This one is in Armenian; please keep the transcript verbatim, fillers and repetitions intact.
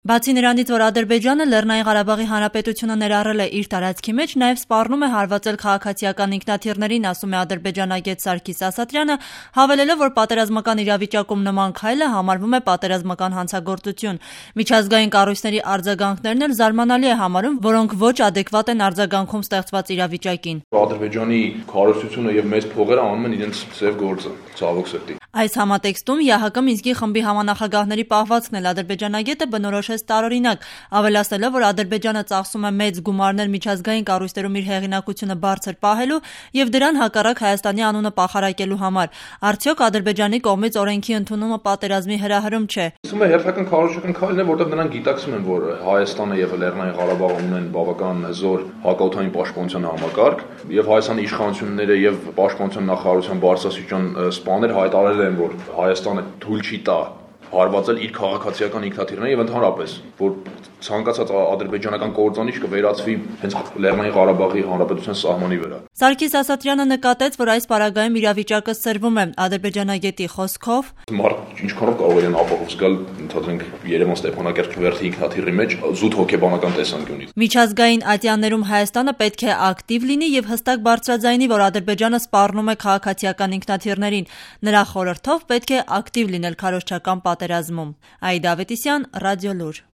Բացի նրանից, որ Ադրբեջանը Լեռնային Ղարաբաղի Հանրապետությունը ներառել է իր տարածքի մեջ, նաև սպառնում է հարվածել քաղաքացիական ինքնաթիռներին, ասում է ադրբեջանագետ Սարգիս Ասատրյանը, հավելելով, որ պատերազմական իրավիճակում նման քայլը համարվում է պատերազմական հանցագործություն։ Միջազգային կառույցների արձագանքներն էլ զարմանալի է համարում, որոնք ոչ ադեկվատ են արձագանքում ստեղծված իրավիճակին։ Ադրբեջանի քարոզությունը եւ մեծ փողերը անում են իրենց ծև գործը, ցավոք սրտի։ Այս համատեքստում ԵԱՀԿ Մինսկի խմբի համանախագահների պահվածքն էլ ադրբեջանագետը բնորոշեց տարօրինակ, ավելացնելով, որ Ադրբեջանը ծախսում է մեծ գումարներ միջազգային կառույցներում իր հեղինակությունը բարձր պահելու եւ դրան հակառակ Հայաստանի անունը պախարակելու համար։ Արդյոք Ադրբեջանի կողմից օրենքի ընդունումը պատերազմի հրահրում չէ։ Ասում է հերթական քարոզչական քայլն է, որտեղ նրանք գիտակցում են, որ Հայաստանը եւ Լեռնային Ղարաբաղը ունեն բավական հզոր հակաօդային պաշտպանության համակարգ եւ Հայաստանի իշխանությունները եւ պաշտպանության նախարարության բարձրաստիճան սպաներ հայտարարել են, որ Հայաստանը թույլ չի տա հարվածել իր քաղաքացիական ինքնաթիռները եւ ընդհանրապես, որ ցանկացած ադրբեջանական կործանիչ կվերածվի հենց Լեռնային Ղարաբաղի Հանրապետության սահմանի վրա։ Սարգիս Ասատրյանը նկատեց, որ այս պարագայում իրավիճակը սրվում է ադրբեջանագետի խոսքով. Մարդ ինչքանով կարող են ապահով զգալ, ընդհանրենք Երևան-Ստեփանակերտ վերթի ինքնաթիռի մեջ զուտ հոգեբանական տեսանկյունից։ Միջազգային ատյաններում Հայաստանը պետք է ակտիվ լինի եւ հստակ բարձրաձայնի, որ Ադրբեջանը սպառնում է քաղաքացիական ինքնաթիռներին։ Նրա խորհրդով պետք է ակտիվ լինել քարոզչական պատերազմում։ Աիդա Ավետիսյան, Ռադիոլուր։